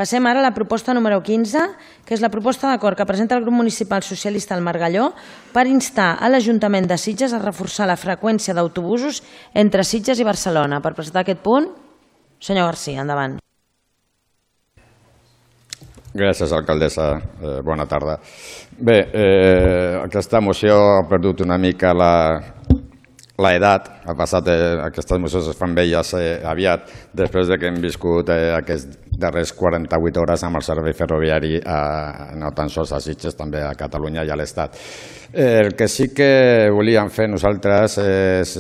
Passem ara a la proposta número 15, que és la proposta d'acord que presenta el grup municipal socialista al Margalló per instar a l'Ajuntament de Sitges a reforçar la freqüència d'autobusos entre Sitges i Barcelona. Per presentar aquest punt, senyor Garcia, endavant. Gràcies, alcaldessa. Bona tarda. Bé, aquesta moció ha perdut una mica l'edat. Ha passat, aquestes mocions es fan velles aviat, després que hem viscut aquests darrers 48 hores amb el servei ferroviari, no tan sols a Sitges, també a Catalunya i a l'Estat. El que sí que volíem fer nosaltres és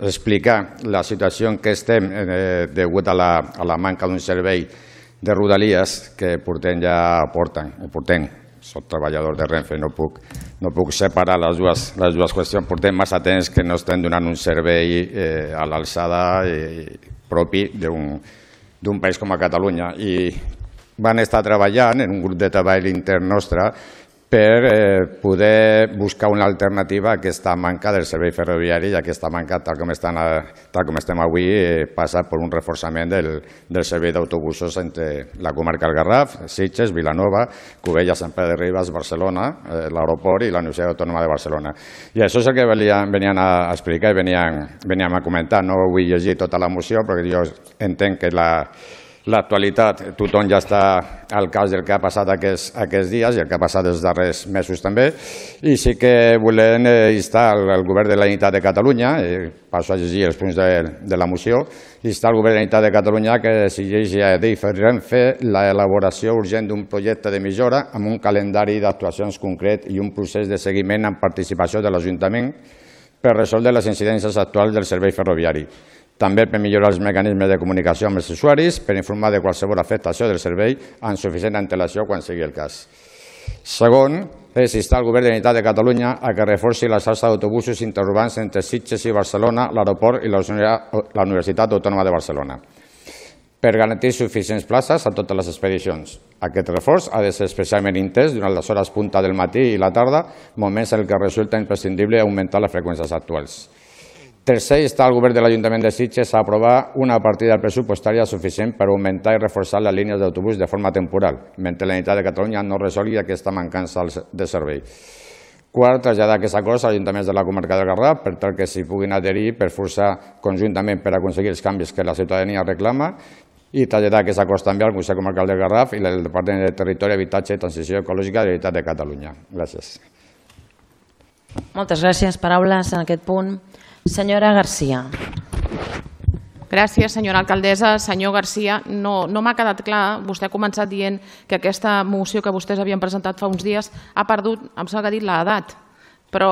explicar la situació en què estem degut a la manca d'un servei de Rodalies que portem. Soc treballador de Renfe, no puc separar les dues qüestions. Portem massa temps que no estem donant un servei a l'alçada propi d'un país com a Catalunya. I van estar treballant en un grup de treball intern nostre per poder buscar una alternativa a aquesta manca del servei ferroviari, i aquesta manca, tal com estem avui, passa per un reforçament del servei d'autobusos entre la comarca del Garraf, Sitges, Vilanova, Cubella, Sant Pere de Ribes, Barcelona, l'aeroport i la Universitat Autònoma de Barcelona. I això és el que venien a explicar i veníem a comentar. No vull llegir tota la moció perquè jo entenc que l'actualitat, tothom ja està al cas del que ha passat aquests dies i el que ha passat els darrers mesos també, i sí que volem instar el Govern de la Generalitat de Catalunya, passo a llegir els punts de la moció, instar el Govern de la Generalitat de Catalunya que decideixi a Adif i Renfe l'elaboració urgent d'un projecte de millora amb un calendari d'actuacions concret i un procés de seguiment amb participació de l'Ajuntament per resoldre les incidències actuals del servei ferroviari. També per millorar els mecanismes de comunicació amb els usuaris, per informar de qualsevol afectació del servei amb suficient antelació quan sigui el cas. Segon, és instar el Govern de la Generalitat de Catalunya a que reforci la xarxa d'autobusos interurbans entre Sitges i Barcelona, l'aeroport i la Universitat Autònoma de Barcelona, per garantir suficients places a totes les expedicions. Aquest reforç ha de ser especialment intens durant les hores punta del matí i la tarda, moments en què resulta imprescindible augmentar les freqüències actuals. Tercer, instar el Govern de l'Ajuntament de Sitges a aprovar una partida pressupostària suficient per augmentar i reforçar les línies d'autobús de forma temporal, mentre la Generalitat de Catalunya no resolgui aquesta mancança de servei. Quart, traslladar aquests acords als ajuntaments de la comarca del Garraf per tal que s'hi puguin adherir per forçar conjuntament per aconseguir els canvis que la ciutadania reclama, i traslladar aquests acords també al Consell Comarcal del Garraf i al Departament de Territori, Habitatge i Transició Ecològica de la Generalitat de Catalunya. Gràcies. Moltes gràcies. Paraules en aquest punt. Senyora Garcia. Gràcies, senyora alcaldessa. Senyor Garcia, no m'ha quedat clar. Vostè ha començat dient que aquesta moció que vostès havien presentat fa uns dies ha perdut, em sembla que ha dit l'edat. Però,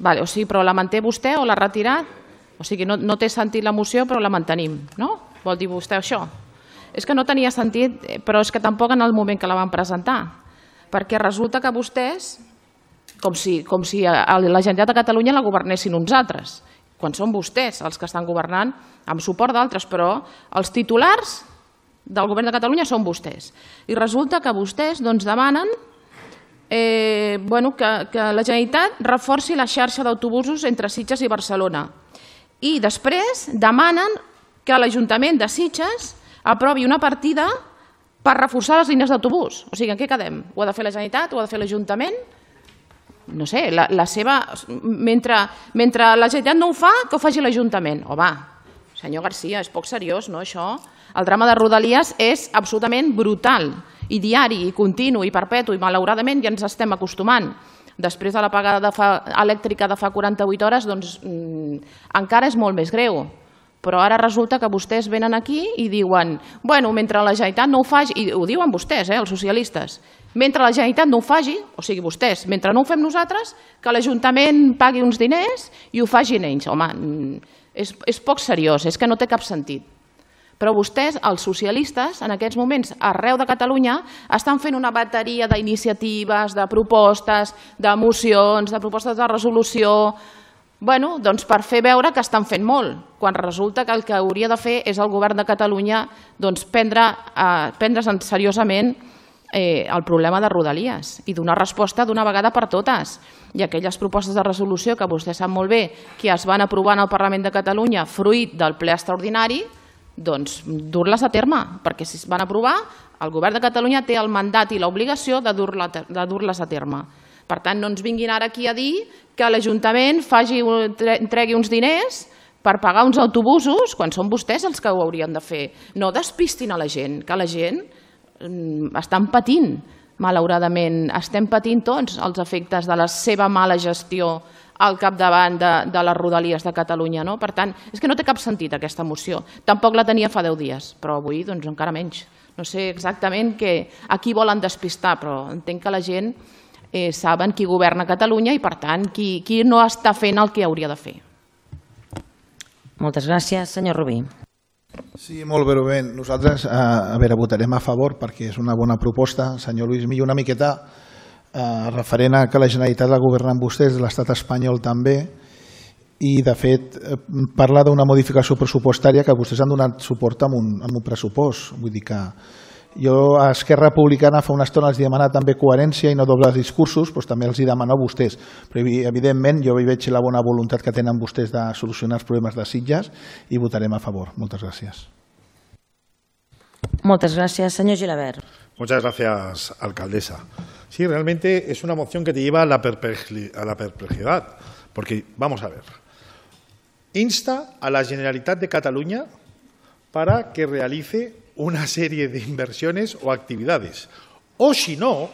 però la manté vostè o l'ha retirat? O sigui, no té sentit la moció, però la mantenim, no? Vol dir vostè això? És que no tenia sentit, però és que tampoc en el moment que la van presentar. Perquè resulta que vostès, com si la Generalitat de Catalunya la governessin uns altres, quan són vostès els que estan governant amb suport d'altres, però els titulars del govern de Catalunya són vostès. I resulta que vostès demanen que la Generalitat reforci la xarxa d'autobusos entre Sitges i Barcelona. I després demanen que l'Ajuntament de Sitges aprovi una partida per reforçar les línies d'autobús. O sigui, en què quedem? Ho ha de fer la Generalitat? Ho ha de fer l'Ajuntament? No sé, mentre la Generalitat no ho fa, que ho faci l'Ajuntament. Home, senyor Garcia, és poc seriós, no, això? El drama de Rodalies és absolutament brutal, i diari, i continu, i perpetu, i malauradament ja ens estem acostumant. Després de l'apagada elèctrica de fa 48 hores, doncs encara és molt més greu. Però ara resulta que vostès venen aquí i diuen, bueno, mentre la Generalitat no ho faci, i ho diuen vostès, els socialistes, mentre la Generalitat no ho faci, o sigui, vostès, mentre no ho fem nosaltres, que l'Ajuntament pagui uns diners i ho facin ells. Home, és poc seriós, és que no té cap sentit. Però vostès, els socialistes, en aquests moments, arreu de Catalunya, estan fent una bateria d'iniciatives, de propostes, de mocions, de propostes de resolució, doncs per fer veure que estan fent molt, quan resulta que el que hauria de fer és el govern de Catalunya prendre's seriosament el problema de Rodalies i donar resposta d'una vegada per totes. I aquelles propostes de resolució que vostè sap molt bé que es van aprovar en el Parlament de Catalunya fruit del ple extraordinari, doncs dur-les a terme, perquè si es van aprovar, el govern de Catalunya té el mandat i l'obligació de dur-les a terme. Per tant, no ens vinguin ara aquí a dir que l'Ajuntament entregui uns diners per pagar uns autobusos quan són vostès els que ho haurien de fer. No despistin a la gent, que la gent estan patint, malauradament. Estem patint tots els efectes de la seva mala gestió al capdavant de les Rodalies de Catalunya. Per tant, és que no té cap sentit aquesta moció. Tampoc la tenia fa 10 dies, però avui encara menys. No sé exactament a qui volen despistar, però entenc que la gent saben qui governa Catalunya i, per tant, qui no està fent el que hauria de fer. Moltes gràcies. Senyor Rubí. Sí, molt breument. Nosaltres, votarem a favor perquè és una bona proposta. Senyor Lluís Millo, una miqueta referent a que la Generalitat la governen vostès, l'Estat espanyol també, i de fet parla d'una modificació pressupostària que vostès han donat suport amb un pressupost. Vull dir que jo a Esquerra Republicana fa una estona els demana també coherència i no dobles discursos, doncs també els demano a vostès. Però evidentment jo veig la bona voluntat que tenen vostès de solucionar els problemes de Sitges i votarem a favor. Moltes gràcies. Moltes gràcies. Senyor Gilabert. Muchas gracias, alcaldesa. Sí, realmente es una moción que te lleva a la perplejidad, porque, vamos a ver, insta a la Generalitat de Cataluña para que realice una serie de inversiones o actividades, o si no,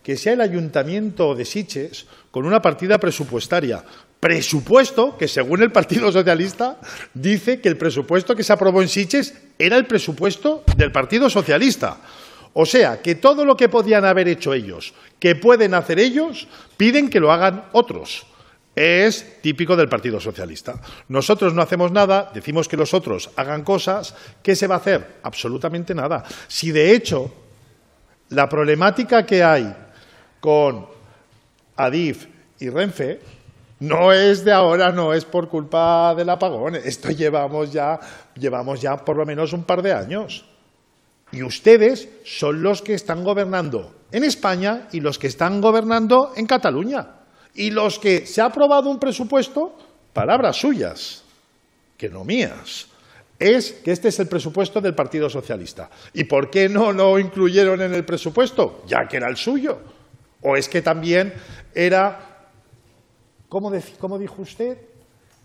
que sea el Ayuntamiento de Sitges con una partida presupuestaria. Presupuesto que, según el Partido Socialista, dice que el presupuesto que se aprobó en Sitges era el presupuesto del Partido Socialista. O sea, que todo lo que podían haber hecho ellos, que pueden hacer ellos, piden que lo hagan otros. Es típico del Partido Socialista. Nosotros no hacemos nada, decimos que los otros hagan cosas. ¿Qué se va a hacer? Absolutamente nada. Si de hecho la problemática que hay con Adif y Renfe no es de ahora, no es por culpa del apagón. Esto llevamos ya por lo menos un par de años. Y ustedes son los que están gobernando en España y los que están gobernando en Cataluña. Y los que se ha aprobado un presupuesto, palabras suyas, que no mías, es que este es el presupuesto del Partido Socialista. ¿Y por qué no lo incluyeron en el presupuesto? Ya que era el suyo. ¿O es que también era, ¿cómo dijo usted?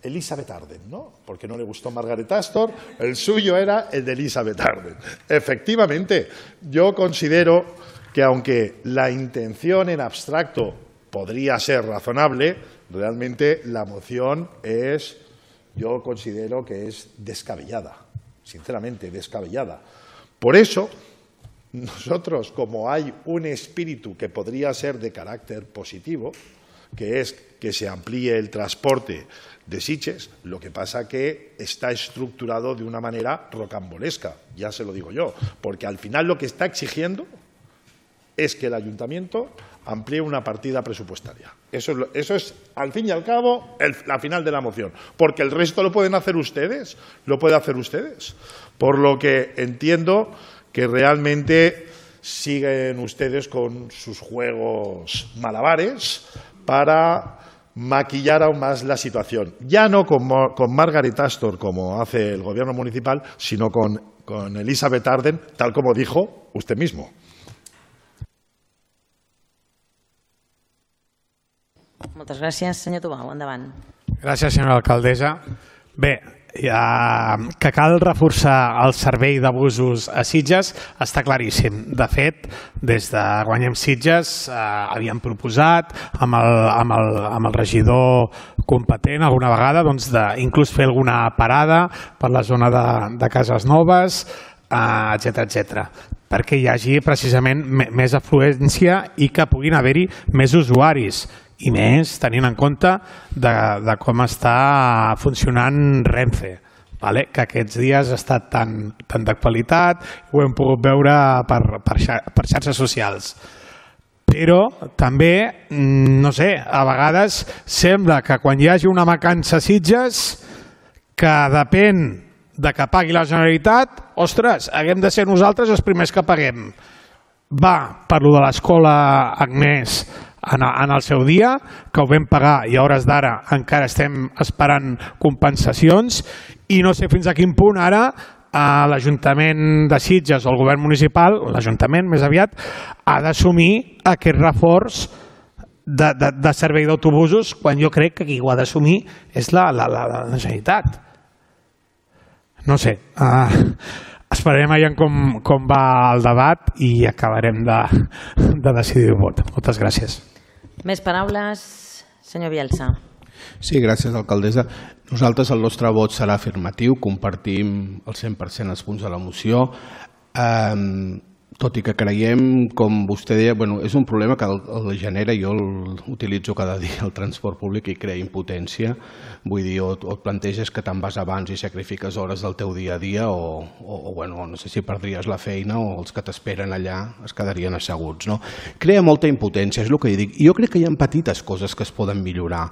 Elizabeth Arden, ¿no? Porque no le gustó Margaret Astor, el suyo era el de Elizabeth Arden. Efectivamente, yo considero que aunque la intención en abstracto podría ser razonable, realmente la moción yo considero que es descabellada, sinceramente descabellada. Por eso, nosotros, como hay un espíritu que podría ser de carácter positivo, que es que se amplíe el transporte de Sitges, lo que pasa que está estructurado de una manera rocambolesca, ya se lo digo yo, porque al final lo que está exigiendo es que el ayuntamiento amplíe una partida presupuestaria. Eso es, al fin y al cabo, la final de la moción, porque el resto lo pueden hacer ustedes, por lo que entiendo que realmente siguen ustedes con sus juegos malabares para maquillar aún más la situación. Ya no con Margaret Astor, como hace el gobierno municipal, sino con Elizabeth Arden, tal como dijo usted mismo. Moltes gràcies. Senyor Tubau, endavant. Gràcies, senyora alcaldessa. Bé, que cal reforçar el servei de busos a Sitges està claríssim. De fet, des de Guanyem Sitges havíem proposat amb el regidor competent alguna vegada inclús fer alguna parada per la zona de Cases Noves, etc, perquè hi hagi precisament més afluència i que puguin haver-hi més usuaris. I més tenint en compte de com està funcionant Renfe, que aquests dies ha estat tan d'actualitat, ho hem pogut veure per xarxes socials. Però també, no sé, a vegades sembla que quan hi hagi una mancança a Sitges, que depèn de que pagui la Generalitat, ostres, haguem de ser nosaltres els primers que paguem. Va per lo de l'escola Agnès en el seu dia, que ho vam pagar i a hores d'ara encara estem esperant compensacions i no sé fins a quin punt ara l'Ajuntament de Sitges o el govern municipal, l'Ajuntament més aviat, ha d'assumir aquest reforç de servei d'autobusos, quan jo crec que qui ho ha d'assumir és la Generalitat. No sé, esperarem veient com va el debat i acabarem de decidir el vot. Moltes gràcies. Més paraules, senyor Bielsa. Sí, gràcies, alcaldessa. Nosaltres el nostre vot serà afirmatiu, compartim el 100% els punts de la moció, tot i que creiem, com vostè deia, és un problema que el genera, jo utilitzo cada dia el transport públic i crea impotència, vull dir, o et planteges que te'n vas abans i sacrifiques hores del teu dia a dia o no sé si perdries la feina o els que t'esperen allà es quedarien asseguts. Crea molta impotència, és el que dic. Jo crec que hi ha petites coses que es poden millorar.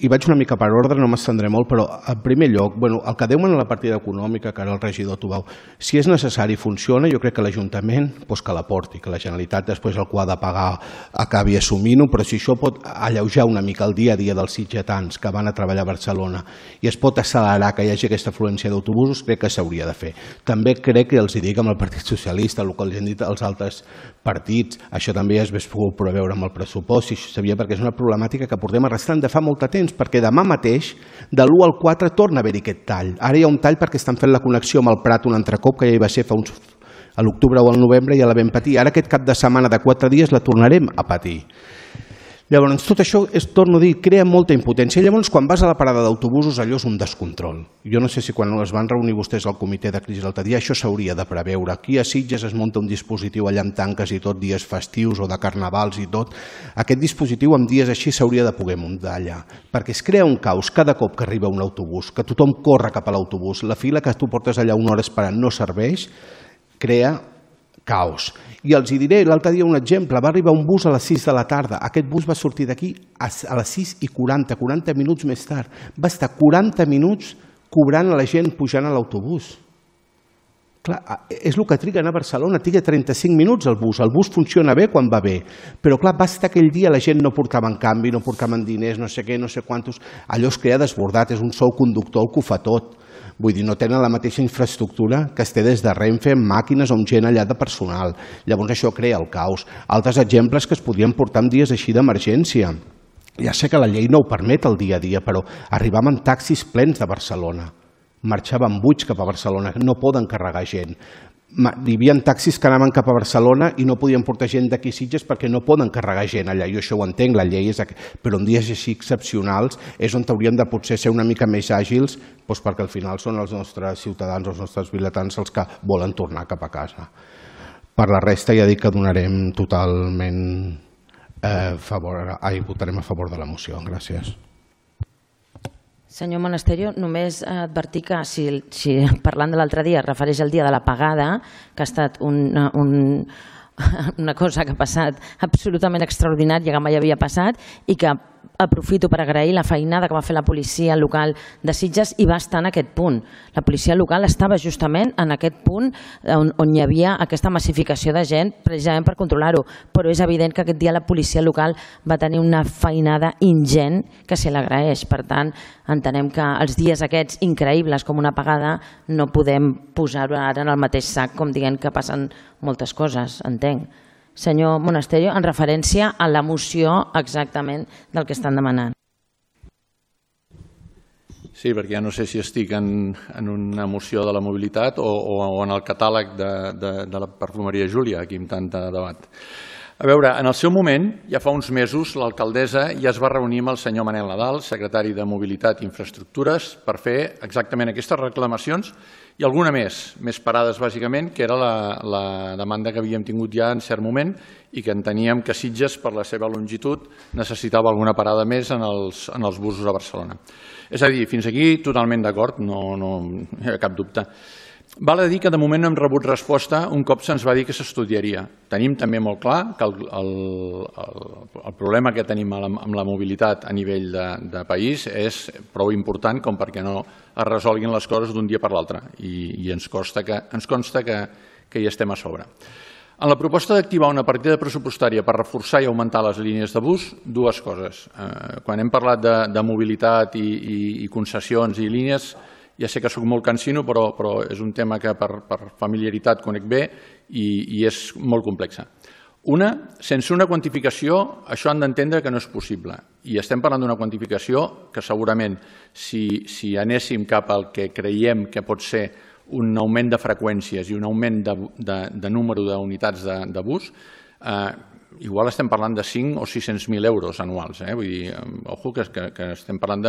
I vaig una mica per ordre, no m'estendré molt, però en primer lloc, el que deuen a la partida econòmica, que ara el regidor t'ho veu, si és necessari i funciona, jo crec que l'Ajuntament que la porti, que la Generalitat després el que ha de pagar acabi assumint-ho, però si això pot alleujar una mica el dia a dia dels sitgetans que van a treballar a Barcelona i es pot accelerar que hi hagi aquesta afluència d'autobusos, crec que s'hauria de fer. També crec que els dic amb el Partit Socialista, el que els han dit els altres partits, això també es hauria pogut preveure amb el pressupost, si sabia, perquè és una problemàtica que portem arrastrant de fa molt de temps, perquè demà mateix, de l'1 al 4, torna a haver-hi aquest tall. Ara hi ha un tall perquè estan fent la connexió amb el Prat un altre cop, que ja hi va ser a l'octubre o al novembre, ja la vam patir. Ara aquest cap de setmana de 4 dies la tornarem a patir. Llavors, tot això, torno a dir, crea molta impotència. Llavors, quan vas a la parada d'autobusos, allò és un descontrol. Jo no sé si quan es van reunir vostès al comitè de crisi l'altre dia, això s'hauria de preveure. Aquí a Sitges es munta un dispositiu allà amb tanques i tot, dies festius o de carnavals i tot. Aquest dispositiu amb dies així s'hauria de poder muntar allà, perquè es crea un caos cada cop que arriba un autobús, que tothom corre cap a l'autobús, la fila que tu portes allà una hora esperant no serveix, crea caos. I els diré, l'altre dia un exemple, va arribar un bus a les 6 de la tarda, aquest bus va sortir d'aquí a les 6:40, 40 minuts més tard, va estar 40 minuts cobrant a la gent pujant a l'autobús. Clar, és el que triguen a Barcelona, triga 35 minuts el bus funciona bé quan va bé, però clar, va estar aquell dia, la gent no portava en canvi, no portaven diners, no sé què, no sé quantos, allò es crea desbordat, és un sol conductor el que ho fa tot. Vull dir, no tenen la mateixa infraestructura que es té des de Renfe amb màquines o amb gent allà de personal. Llavors això crea el caos. Altres exemples que es podien portar en dies així d'emergència. Ja sé que la llei no ho permet el dia a dia, però arribàvem taxis plens de Barcelona. Marxaven buits cap a Barcelona, no poden carregar gent. Hi havia taxis que anaven cap a Barcelona i no podien portar gent d'aquí Sitges perquè no poden carregar gent allà. Jo això ho entenc, la llei és... Però en dies així excepcionals és on hauríem de potser ser una mica més àgils, perquè al final són els nostres ciutadans, els nostres vilatans els que volen tornar cap a casa. Per la resta ja dic que donarem totalment votarem a favor de la moció. Gràcies. Senyor Monasterio, només advertir que si parlant de l'altre dia es refereix al dia de la pagada, que ha estat una cosa que ha passat absolutament extraordinària, que mai havia passat, i que aprofito per agrair la feinada que va fer la policia local de Sitges i va estar en aquest punt. La policia local estava justament en aquest punt on hi havia aquesta massificació de gent precisament per controlar-ho, però és evident que aquest dia la policia local va tenir una feinada ingent que se l'agraeix. Per tant, entenem que els dies aquests increïbles com una apagada no podem posar-ho ara en el mateix sac com dient que passen moltes coses, entenc. Senyor Monasterio, en referència a la moció exactament del que estan demanant. Sí, perquè ja no sé si estic en una moció de la mobilitat o en el catàleg de la perfumeria Júlia, aquí amb tant de debat. A veure, en el seu moment, ja fa uns mesos, l'alcaldessa ja es va reunir amb el senyor Manel Nadal, secretari de Mobilitat i Infraestructures, per fer exactament aquestes reclamacions i alguna més parades, bàsicament, que era la demanda que havíem tingut ja en cert moment i que enteníem que Sitges, per la seva longitud, necessitava alguna parada més en els busos a Barcelona. És a dir, fins aquí totalment d'acord, no hi ha cap dubte. Val a dir que de moment no hem rebut resposta un cop se'ns va dir que s'estudiaria. Tenim també molt clar que el problema que tenim amb la mobilitat a nivell de país és prou important com perquè no es resolguin les coses d'un dia per l'altre i ens consta que hi estem a sobre. En la proposta d'activar una partida pressupostària per reforçar i augmentar les línies de bus, dues coses. Quan hem parlat de mobilitat i concessions i línies, Ja sé que sóc molt cansino, però és un tema que per familiaritat conec bé i és molt complex. Sense una quantificació, això han d'entendre que no és possible. I estem parlant d'una quantificació que segurament, si anéssim cap al que creiem que pot ser un augment de freqüències i un augment de número d'unitats de bus, igual estem parlant de 5 o 600.000 euros anuals. Vull dir, ojo, que estem parlant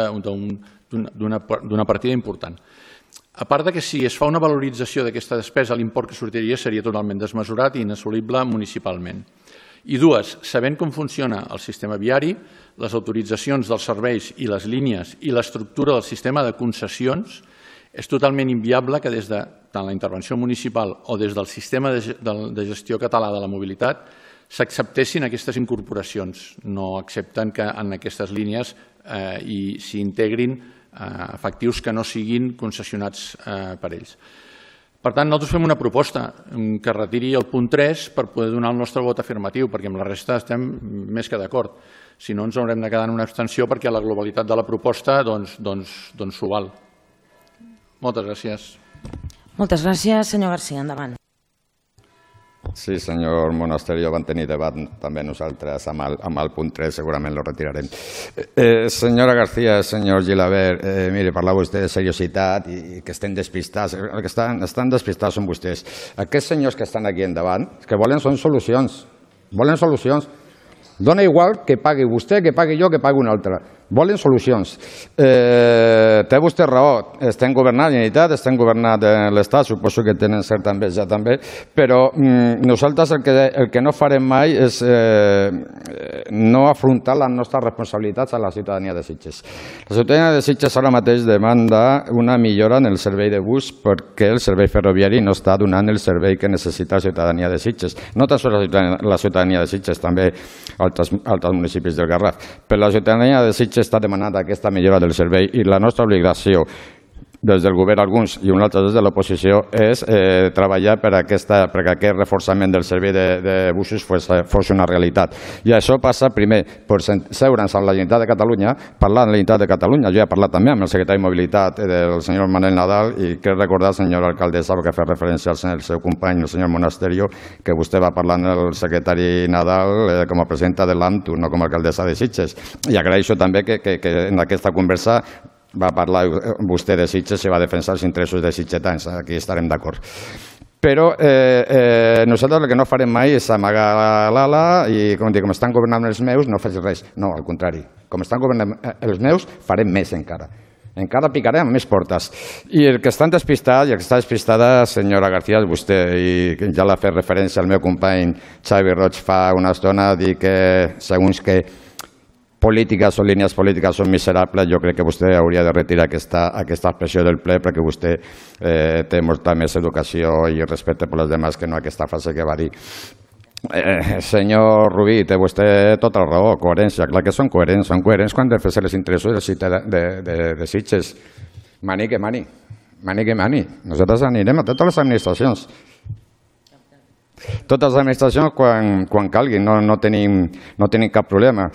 d'una partida important. A part que si es fa una valorització d'aquesta despesa, l'import que sortiria seria totalment desmesurat i inassolible municipalment. I dues, sabent com funciona el sistema viari, les autoritzacions dels serveis i les línies i l'estructura del sistema de concessions, és totalment inviable que des de tant la intervenció municipal o des del sistema de gestió català de la mobilitat s'acceptessin aquestes incorporacions. No accepten que en aquestes línies s'hi integrin efectius que no siguin concessionats per ells. Per tant, nosaltres fem una proposta que retiri el punt 3 per poder donar el nostre vot afirmatiu, perquè amb la resta estem més que d'acord. Si no, ens haurem de quedar en una abstenció perquè la globalitat de la proposta s'ho val. Moltes gràcies. Moltes gràcies, senyor García. Endavant. Sí, senyor Monasterio, vam tenir debat també nosaltres amb el punt 3, segurament lo retirarem. Senyora García, senyor Gilabert, mire, parla vostè de seriositat i que estem despistats. El que estan despistats són vostès. Aquests senyors que estan aquí endavant, que volen són solucions. Volen solucions. Dona igual que pagui vostè, que pagui jo, que pagui un altre. Volen solucions. Té vostè raó, estem governant la Generalitat, estem governant l'Estat, suposo que tenen certa enveja també, però nosaltres el que no farem mai és no afrontar les nostres responsabilitats a la ciutadania de Sitges. La ciutadania de Sitges ara mateix demanda una millora en el servei de bus perquè el servei ferroviari no està donant el servei que necessita la ciutadania de Sitges. No tan sols la ciutadania de Sitges, també altres municipis del Garraf. Però la ciutadania de Sitges està demanant aquesta millora del servei i la nostra obligació des del govern alguns i un altre des de l'oposició és treballar perquè aquest reforçament del servei de busos fos una realitat. I això passa primer per seure'ns amb la Generalitat de Catalunya, parlar amb la Generalitat de Catalunya. Jo he parlat també amb el secretari de Mobilitat del senyor Manel Nadal i crec recordar, senyora alcaldessa, perquè fa referència al seu company, el senyor Monasterio, que vostè va parlar amb el secretari Nadal com a presidenta de l'AMTU, no com a alcaldessa de Sitges. I agraeixo també que en aquesta conversa va parlar vostè de Sitges i va defensar els interessos de sitgetans. Aquí estarem d'acord. Però nosaltres el que no farem mai és amagar l'ala i com estan governant els meus no faig res. No, al contrari. Com estan governant els meus farem més encara. Encara picarem més portes. I el que estan despistats i el que està despistada, senyora García, és vostè. I ja l'ha fet referència al meu company Xavi Roig fa una estona, dir que segons que polítiques o línies polítiques són miserables, jo crec que vostè hauria de retirar aquesta expressió del ple perquè vostè té molta més educació i respecte per les demás que no aquesta frase que va dir. Senyor Rubí, té vostè tota la raó, coherència, clar que són coherents quan defensen els interessos de Sitges. Mani que mani, nosaltres anirem a totes les administracions. Totes les administracions quan calgui, no tenim cap problema.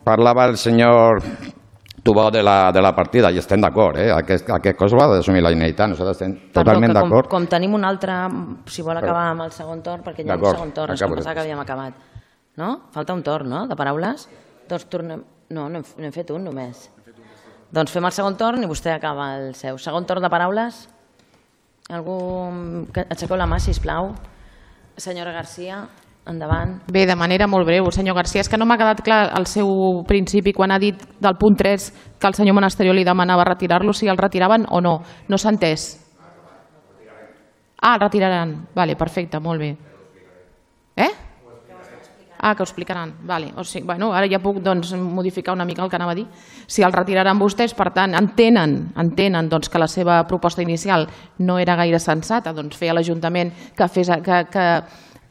Parlava el senyor Tubó de la partida i estem d'acord, aquest cos l'ha d'assumir la Generalitat, nosaltres estem totalment d'acord. Com tenim un altre, si vol acabar amb el segon torn, perquè hi ha un segon torn, és que pensava que havíem acabat. No? Falta un torn, no?, de paraules? Doncs tornem... No, n'hem fet un només. Doncs fem el segon torn i vostè acaba el seu. Segon torn de paraules? Algú... Aixequeu la mà, sisplau. Senyora García... Endavant. Bé, de manera molt breu, senyor García, és que no m'ha quedat clar el seu principi quan ha dit del punt 3 que el senyor Monasterio li demanava retirar-lo, si el retiraven o no. No s'ha entès. El retiraran. Vale, perfecte, molt bé. Que ho explicaran. Vale. O sigui, bueno, ara ja puc modificar una mica el que anava a dir. Si el retiraran vostès, per tant, entenen que la seva proposta inicial no era gaire sensata, doncs fer a l'Ajuntament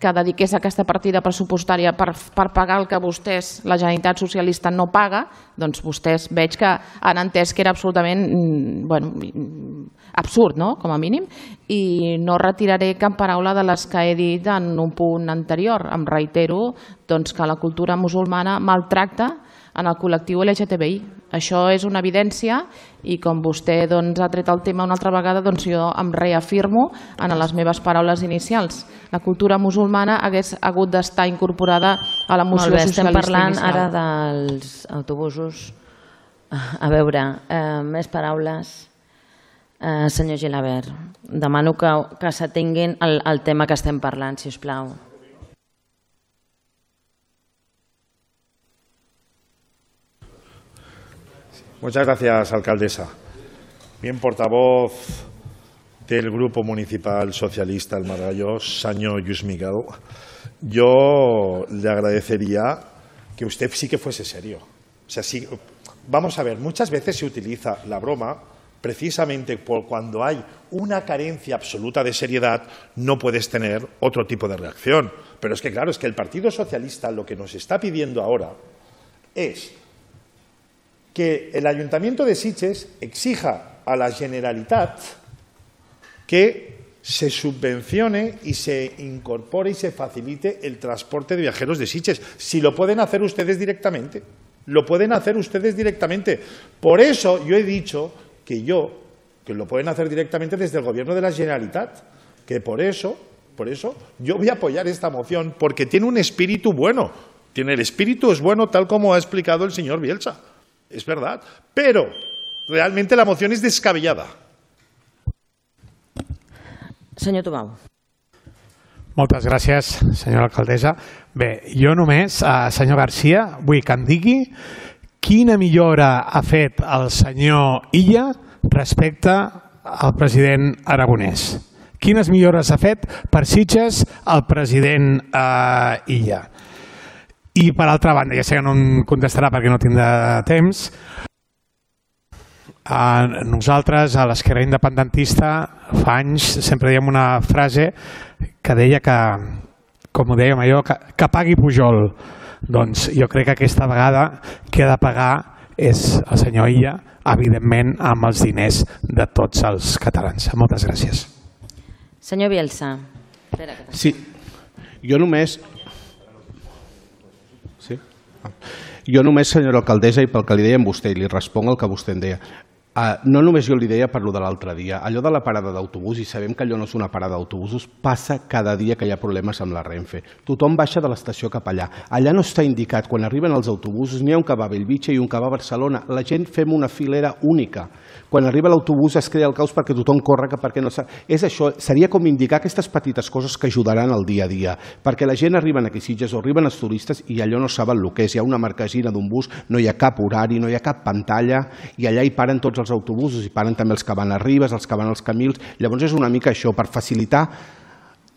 que dediqués aquesta partida pressupostària per pagar el que vostès, la Generalitat Socialista, no paga, doncs vostès veig que han entès que era absolutament absurd, no?, com a mínim, i no retiraré cap paraula de les que he dit en un punt anterior. Em reitero que la cultura musulmana maltracta en el col·lectiu LGTBI. Això és una evidència i com vostè ha tret el tema una altra vegada, jo em reafirmo en les meves paraules inicials. La cultura musulmana hagués hagut d'estar incorporada a la moció socialista inicial. Estem parlant ara dels autobusos. A veure, més paraules. Senyor Gilabert, demano que s'atenguin al tema que estem parlant, si us plau. Muchas gracias, alcaldesa. Bien, portavoz del Grupo Municipal Socialista El Margallo, señor Lluís Miguel, yo le agradecería que usted sí que fuese serio. O sea, sí, vamos a ver, muchas veces se utiliza la broma precisamente por cuando hay una carencia absoluta de seriedad, no puedes tener otro tipo de reacción. Pero es que, claro, es que el Partido Socialista lo que nos está pidiendo ahora es que el Ayuntamiento de Sitges exija a la Generalitat que se subvencione y se incorpore y se facilite el transporte de viajeros de Sitges. Si lo pueden hacer ustedes directamente, lo pueden hacer ustedes directamente. Por eso yo he dicho que lo pueden hacer directamente desde el Gobierno de la Generalitat, que por eso yo voy a apoyar esta moción, porque tiene un espíritu bueno. El espíritu es bueno, tal como ha explicado el señor Bielsa. Es verdad, pero realmente la moción es descabellada. Senyor Tubau. Moltes gràcies, senyora alcaldessa. Bé, jo només, senyor Garcia, vull que em digui quina millora ha fet el senyor Illa respecte al president Aragonès. Quines millores ha fet per Sitges el president Illa? I per altra banda, ja sé que no em contestarà perquè no tindrà temps, nosaltres a l'Esquerra Independentista fa anys sempre dèiem una frase que deia que, com ho dèiem allò, que pagui Pujol. Doncs jo crec que aquesta vegada qui ha de pagar és el senyor Illa, evidentment amb els diners de tots els catalans. Moltes gràcies. Senyor Bielsa. Sí, jo només... Jo només, senyora alcaldessa, i pel que li deia a vostè, i li responc el que vostè em deia, no només jo li deia per lo de l'altre dia, allò de la parada d'autobús, i sabem que allò no és una parada d'autobusos, passa cada dia que hi ha problemes amb la Renfe. Tothom baixa de l'estació cap allà. Allà no està indicat, quan arriben els autobusos, n'hi ha un que va a Bellvitge i un que va a Barcelona. La gent fem una filera única. Quan arriba l'autobús es crea el caos perquè tothom corre, perquè no sap. És això, seria com indicar aquestes petites coses que ajudaran al dia a dia, perquè la gent arriba aquí a Sitges o arriben els turistes i allò no saben el que és. Hi ha una marquesina d'un bus, no hi ha cap horari, no hi ha cap pantalla, i allà hi paren tots els autobusos, i paren també els que van a Ribes, els que van als Camils. Llavors és una mica això, per facilitar,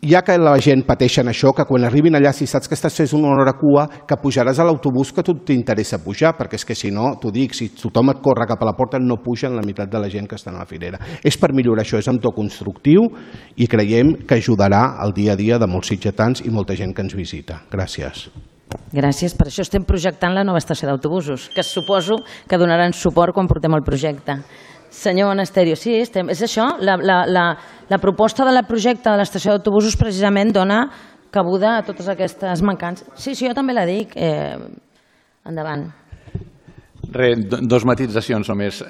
ja que la gent pateixen això, que quan arribin allà, si saps que estàs fent una hora cua, que pujaràs a l'autobús que a tu t'interessa pujar, perquè és que si no, t'ho dic, si tothom et corre cap a la porta no pugen la meitat de la gent que està a la filera. És per millorar això, és amb to constructiu i creiem que ajudarà al dia a dia de molts sitgetans i molta gent que ens visita. Gràcies. Gràcies, per això estem projectant la nova estació d'autobusos, que suposo que donaran suport quan portem el projecte. Senyor Monasterio, sí, és això, la proposta del projecte de l'estació d'autobusos precisament dona cabuda a totes aquestes mancances. Sí, jo també la dic. Endavant. Dos matisacions només,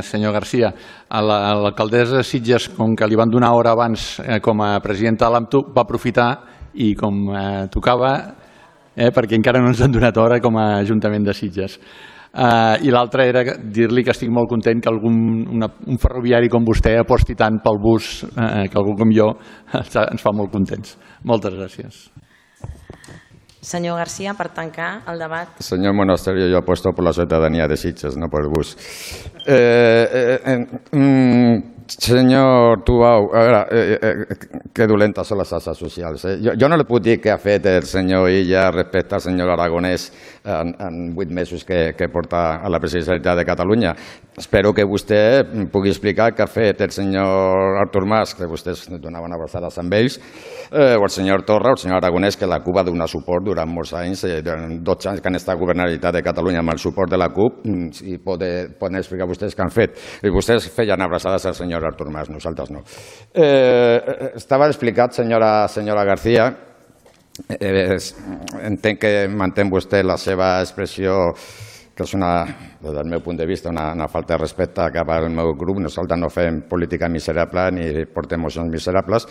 senyor Garcia. A l'alcaldessa de Sitges, com que li van donar hora abans com a presidenta de l'AMTU, va aprofitar i com tocava, perquè encara no ens han donat hora com a Ajuntament de Sitges. I l'altre era dir-li que estic molt content que un ferroviari com vostè aposti tant pel bus, que algú com jo ens fa molt contents. Moltes gràcies. Senyor García, per tancar el debat. Señor Monasterio, yo apuesto por la ciudadanía de Sitges, no por el bus. Senyor Tubau, a veure, que dolentes són les xarxes socials. Jo no li puc dir què ha fet el senyor Illa respecte al senyor Aragonès en 8 mesos que porta a la presidència de Catalunya. Espero que vostè pugui explicar què ha fet el senyor Artur Mas, que vostès donaven abraçades amb ells, o el senyor Torra o el senyor Aragonès, que la CUP va donar suport durant molts anys, durant 12 anys que han estat a governar la Generalitat de Catalunya amb el suport de la CUP, i poden explicar vostès què han fet. I vostès feien abraçades al senyor Artur Mas, nosaltres no. Estava explicat, senyora García, entenc que mantén vostè la seva expressió que és des del meu punt de vista, una falta de respecte cap al meu grup. Nosaltres no fem política miserable ni portem mocions miserables,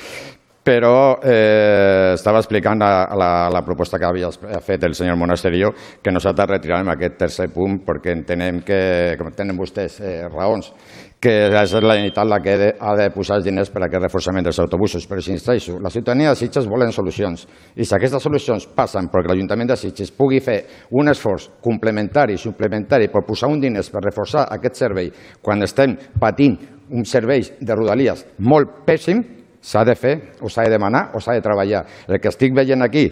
però estava explicant la proposta que havia fet el senyor Monasterio, que nosaltres retirarem aquest tercer punt perquè entenem que, com tenen vostès raons, que és la Generalitat la que ha de posar els diners per a aquest reforçament dels autobusos. Però si insisteixo, la ciutadania de Sitges volen solucions, i si aquestes solucions passen perquè l'Ajuntament de Sitges pugui fer un esforç complementari i suplementari per posar un diners per reforçar aquest servei quan estem patint uns serveis de Rodalies molt pèssim, s'ha de fer, o s'ha de demanar, o s'ha de treballar. El que estic veient aquí,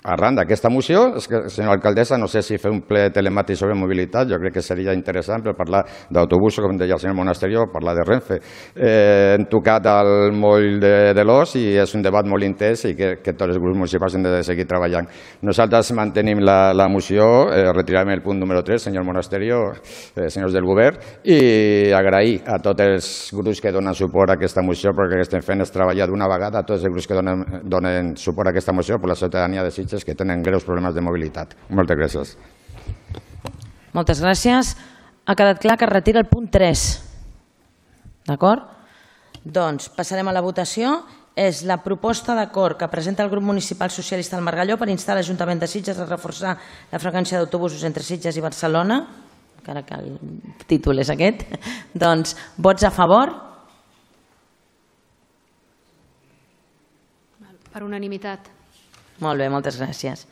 arran d'aquesta moció, és que, senyora alcaldessa, no sé si fer un ple telemàtic sobre mobilitat, jo crec que seria interessant per parlar d'autobusos, com deia el senyor Monasterio, parlar de Renfe. Hem tocat el moll de l'os i és un debat molt intens i que tots els grups municipals hem de seguir treballant. Nosaltres mantenim la moció, retirarem el punt número 3, senyor Monasterio, senyors del govern, i agrair a tots els grups que donen suport a aquesta moció, perquè el que estem fent és treballar d'una vegada a tots els grups que donen suport a aquesta moció per la ciutadania de Sitges, que tenen greus problemes de mobilitat. Moltes gràcies. Moltes gràcies. Ha quedat clar que es retira el punt 3. D'acord? Doncs passarem a la votació. És la proposta d'acord que presenta el grup municipal socialista del Margalló per instar l'Ajuntament de Sitges a reforçar la freqüència d'autobusos entre Sitges i Barcelona, encara que el títol és aquest. Doncs vots a favor? Per unanimitat. Molt bé, moltes gràcies.